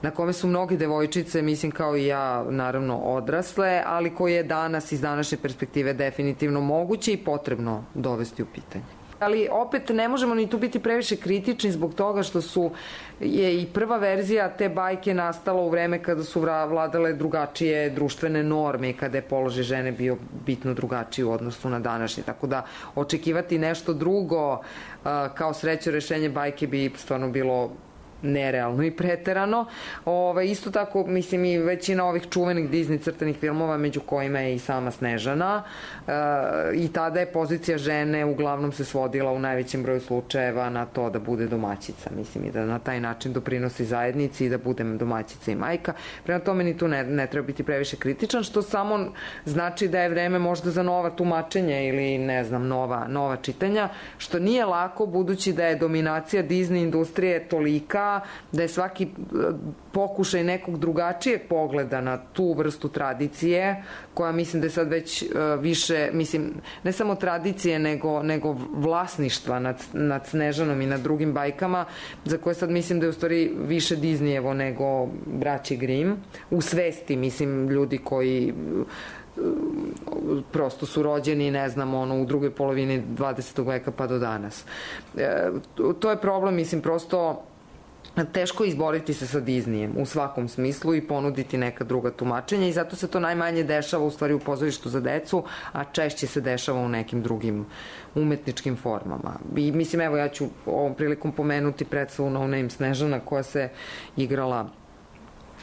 S12: na kome su mnoge devojčice, mislim kao i ja, naravno odrasle, ali koji je danas iz današnje perspektive definitivno moguće i potrebno dovesti u pitanje. Ali opet ne možemo ni tu biti previše kritični zbog toga što su je i prva verzija te bajke nastala u vreme kada su vladale drugačije društvene norme i kada je položaj žene bio bitno drugačiji u odnosu na današnji. Tako da očekivati nešto drugo kao sreće rešenje bajke bi stvarno bilo nerealno i preterano. Ove, isto tako, mislim, i većina ovih čuvenih Disney crtanih filmova, među kojima je i sama Snežana, e, i tada je pozicija žene uglavnom se svodila u najvećem broju slučajeva na to da bude domaćica, mislim, i da na taj način doprinosi zajednici i da bude domaćica i majka. Prema tome ni tu ne, ne treba biti previše kritičan, što samo znači da je vreme možda za nova tumačenja ili, ne znam, nova, nova čitanja, što nije lako, budući da je dominacija Disney industrije tolika da je svaki pokušaj nekog drugačijeg pogleda na tu vrstu tradicije, koja mislim da je sad već više, mislim, ne samo tradicije, nego, nego vlasništva nad, nad Snežanom i nad drugim bajkama, za koje sad mislim da je u stvari više Disneyevo nego braći Grimm, u svesti, mislim, ljudi koji prosto su rođeni, ne znam, ono, u drugoj polovini dvadesetog veka pa do danas. E, to je problem, mislim, prosto teško izboriti se sa Disneyem u svakom smislu i ponuditi neka druga tumačenja i zato se to najmanje dešava u stvari u pozorištu za decu, a češće se dešava u nekim drugim umetničkim formama. I mislim, evo, ja ću ovom prilikom pomenuti predstavu No Name Snežana koja se igrala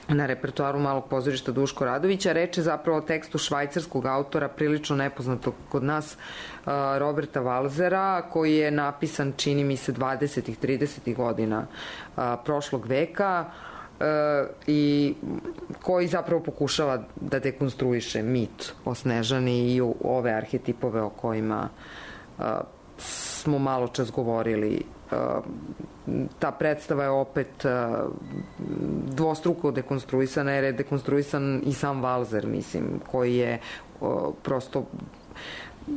S12: na repertoaru Malog pozorišta Duško Radovića. Reč je zapravo o tekstu švajcarskog autora, prilično nepoznatog kod nas, Roberta Walzera, koji je napisan, čini mi se, dvadesetih, tridesetih godina prošlog veka i koji zapravo pokušava da dekonstruiše mit o Snežani i ove arhetipove o kojima smo malo čas govorili. Ta predstava je opet dvostruko dekonstruisana, jer je dekonstruisan i sam Walzer, mislim, koji je prosto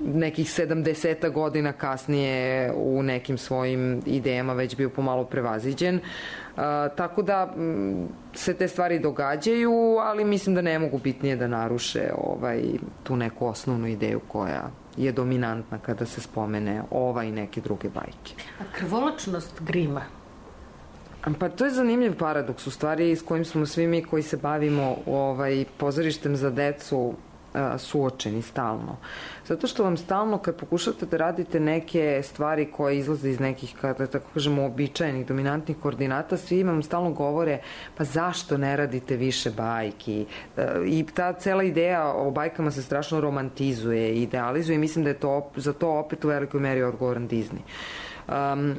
S12: nekih sedamdeseta godina kasnije u nekim svojim idejama već bio pomalo prevaziđen. Tako da se te stvari događaju, ali mislim da ne mogu bitnije da naruše ovaj, tu neku osnovnu ideju koja je dominantna kada se spomene ova i neke druge bajke.
S5: A krvoločnost Grima?
S12: Pa to je zanimljiv paradoks u stvari s kojim smo svi mi koji se bavimo ovaj, pozorištem za decu suočeni stalno. Zato što vam stalno kad pokušate da radite neke stvari koje izlaze iz nekih, kada tako kažemo, običajenih, dominantnih koordinata, svi vam stalno govore pa zašto ne radite više bajki? I ta cela ideja o bajkama se strašno romantizuje i idealizuje i mislim da je to, za to opet u velikoj meri odgovoran Disney. Um,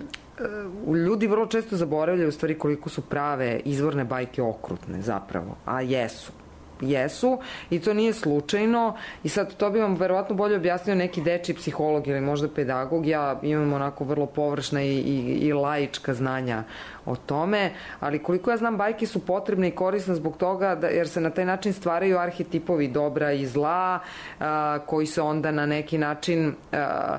S12: ljudi vrlo često zaboravljaju u stvari koliko su prave izvorne bajke okrutne zapravo, a jesu. Jesu i to nije slučajno i sad to bi vam verovatno bolje objasnio neki dečiji psiholog ili možda pedagog. Ja imam onako vrlo površna i, i, i laička znanja o tome, ali koliko ja znam, bajke su potrebne i korisne zbog toga da, jer se na taj način stvaraju arhetipovi dobra i zla a, koji se onda na neki način a,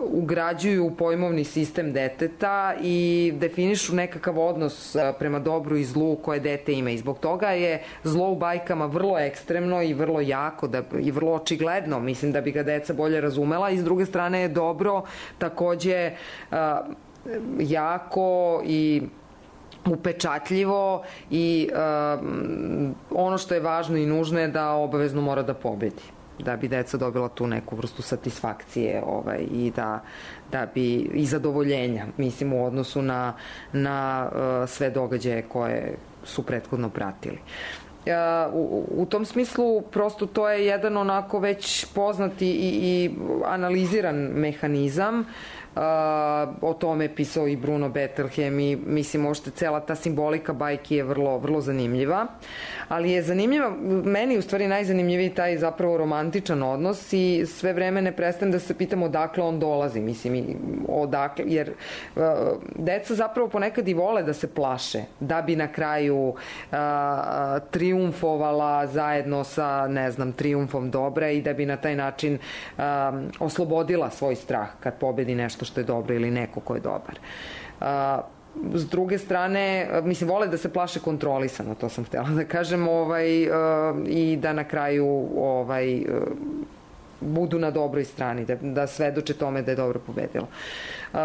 S12: ugrađuju u pojmovni sistem deteta i definišu nekakav odnos prema dobru i zlu koje dete ima. I zbog toga je zlo u bajkama vrlo ekstremno i vrlo jako da, i vrlo očigledno. Mislim da bi ga deca bolje razumela i s druge strane je dobro takođe uh, jako i upečatljivo i uh, ono što je važno i nužno je da obavezno mora da pobedi, da bi deca dobila tu neku vrstu satisfakcije ovaj, i da, da bi i zadovoljenja, mislim, u odnosu na, na uh, sve događaje koje su prethodno pratili. Uh, u, u tom smislu prosto to je jedan onako već poznati i, i analiziran mehanizam. Uh, o tome je pisao i Bruno Bettelheim i mislim ošte cela ta simbolika bajki je vrlo, vrlo zanimljiva, ali je zanimljiva, meni u stvari najzanimljiviji taj zapravo romantičan odnos i sve vreme ne prestajem da se pitam odakle on dolazi, mislim, odakle, jer uh, deca zapravo ponekad i vole da se plaše, da bi na kraju uh, triumfovala zajedno sa, ne znam, triumfom dobra i da bi na taj način um, oslobodila svoj strah kad pobedi nešto što je dobro ili neko ko je dobar. Uh, s druge strane, mislim, vole da se plaše kontrolisano, to sam htjela da kažem, ovaj, uh, i da na kraju ovaj, uh, budu na dobroj strani, da, da svedoče tome da je dobro pobedilo. Uh,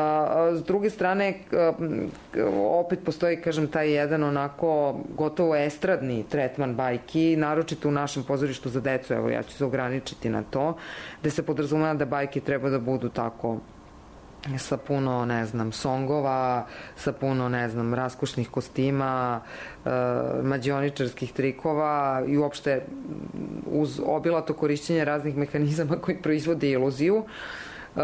S12: s druge strane, uh, opet postoji, kažem, taj jedan onako gotovo estradni tretman bajki, naročito u našem pozorištu za decu, evo ja ću se ograničiti na to, gde se podrazumeva da bajke treba da budu tako sa puno, ne znam, songova, sa puno, ne znam, raskošnih kostima, e, mađioničarskih trikova i uopšte uz obilato korišćenje raznih mehanizama koji proizvode iluziju. E,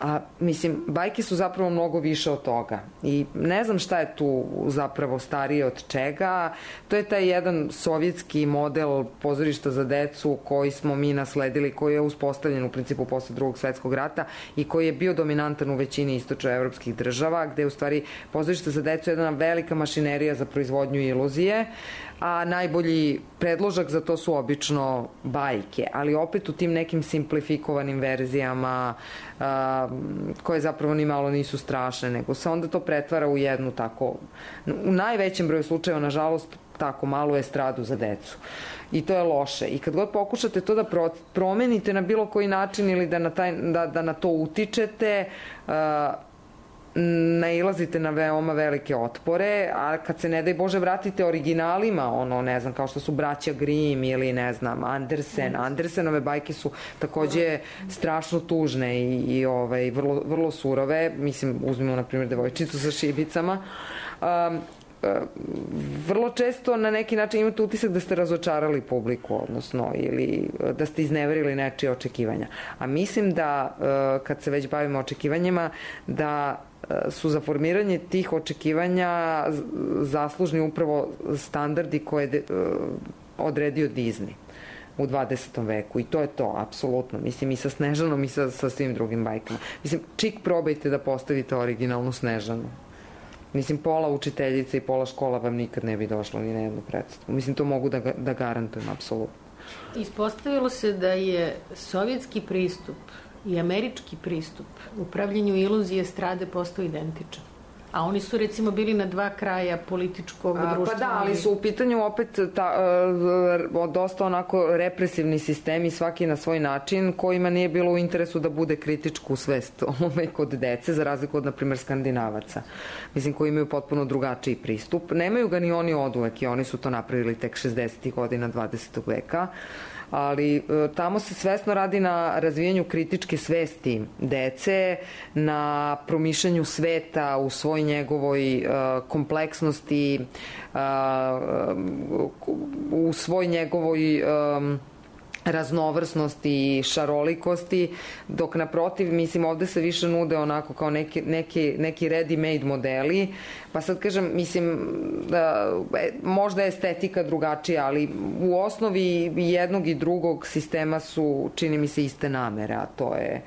S12: a mislim, bajke su zapravo mnogo više od toga i ne znam šta je tu zapravo starije od čega. To je taj jedan sovjetski model pozorišta za decu koji smo mi nasledili, koji je uspostavljen u principu posle drugog svetskog rata i koji je bio dominantan u većini istočnoevropskih država, gde je u stvari pozorište za decu jedna velika mašinerija za proizvodnju iluzije, a najbolji predložak za to su obično bajke, ali opet u tim nekim simplifikovanim verzijama a, koje zapravo ni malo nisu strašne, nego se onda to pretvara u jednu tako, u najvećem broju slučajeva, nažalost, tako malu estradu za decu. I to je loše. I kad god pokušate to da pro, promenite na bilo koji način ili da na, taj, da, da na to utičete, a, nailazite na veoma velike otpore, a kad se ne daj Bože vratite originalima, ono, ne znam, kao što su braća Grimm ili, ne znam, Andersen. Andersenove bajke su takođe strašno tužne i, i ovaj, vrlo, vrlo surove. Mislim, uzmimo, na primjer, Devojčicu sa šibicama. Um, vrlo često na neki način imate utisak da ste razočarali publiku, odnosno, ili da ste izneverili nečije očekivanja. A mislim da, kad se već bavimo očekivanjima, da su za formiranje tih očekivanja zaslužni upravo standardi koje je odredio Disney u dvadesetom veku i to je to, apsolutno. Mislim, i sa Snežanom i sa, sa svim drugim bajkama. Mislim, čik probajte da postavite originalnu Snežanu. Mislim, pola učiteljica i pola škola vam nikad ne bi došlo ni na jednu predstavu. Mislim, to mogu da, da garantujem, apsolutno.
S5: Ispostavilo se da je sovjetski pristup i američki pristup u pravljenju iluzije estrade postao identičan. A oni su recimo bili na dva kraja političkog društva.
S12: Pa da, ali su u pitanju opet ta, dosta onako represivni sistemi, svaki na svoj način, kojima nije bilo u interesu da bude kritičku svest ove kod dece, za razliku od, na primjer, Skandinavaca. Mislim, koji imaju potpuno drugačiji pristup. Nemaju ga ni oni oduvek i oni su to napravili tek šezdesetih godina dvadesetog veka. Ali tamo se svesno radi na razvijanju kritičke svesti dece, na promišljanju sveta u svoj njegovoj uh, kompleksnosti, uh, u svoj njegovoj um, raznovrsnosti i šarolikosti, dok naprotiv, mislim, ovde se više nude onako kao neki, neki, neki ready-made modeli, pa sad kažem, mislim, da, možda je estetika drugačija, ali u osnovi jednog i drugog sistema su, čini mi se, iste namere, a to je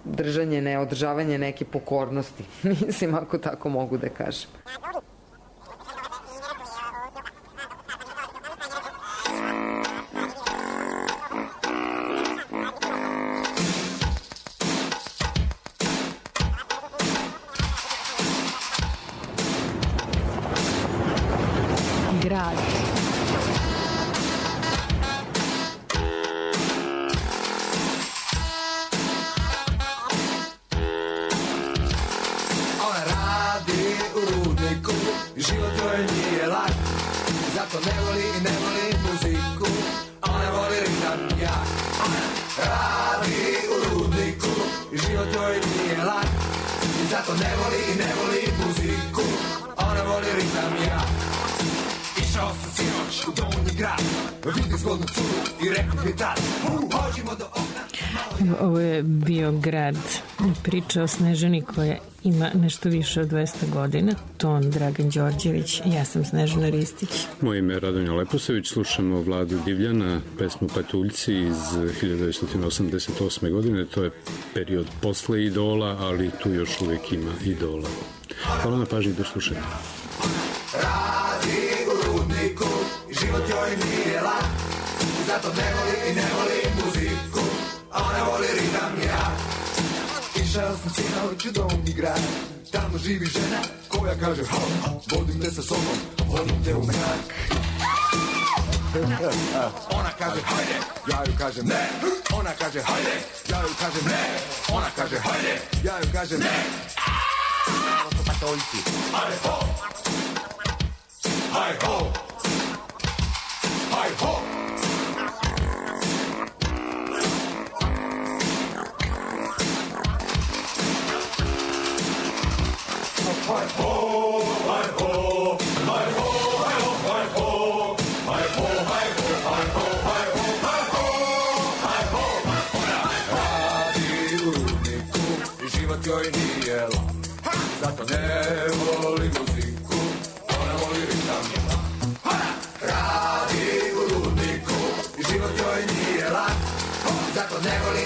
S12: držanje, neodržavanje neke pokornosti, mislim, ako tako mogu da kažem.
S5: Grad.
S21: Ona radi u rudniku i život joj nije lak, zato ne voli i ne voli muziku, ona voli ritam jak. Ona radi u rudniku i život joj nije lak, zato ne voli i ne voli muziku, ona voli ritam jak. Išao sam sinoć u Donji grad, vidim zgodnu curu i rekao mi tad, pođimo do okna.
S5: Ovo je bio Grad, priča o Snežani koja ima nešto više od dvesta godina. Ton Dragan Đorđević, ja sam Snežana Ristić.
S4: Moje ime je Radonja Leposević, slušamo Vladu Divljana, pesmu Patuljci iz hiljadu devetsto osamdeset osme. godine. To je period posle Idola, ali tu još uvek ima Idola. Hvala na pažnji, do slušanja.
S21: Radi u rudniku i život joj nije lak, zato ne voli i ne voli muziku, a ona voli ritam ja. Išao sam sinoć u Donji grad, tamo živi žena koja kaže ha, vodim te sa sobom, vodim te u mrak. Ona kaže hajde, ja ju kažem ne. Ona kaže hajde, ja ju kažem ne. Ona kaže hajde, ja ju kažem ne. Ovo su patoljci. Hajde ho! Hi ho! Hi ho! Hi ho! Hi ho! Hi ho! Hi ho! Hi ho! Hi ho! Hi ho! Hi ho! Hi ho! Hi ho! Hi ho! Ona radi u rudniku i život joj nije lak, zato ne voli muziku, ona voli ritam. Radi u rudniku i život joj nije lak, zato ne voli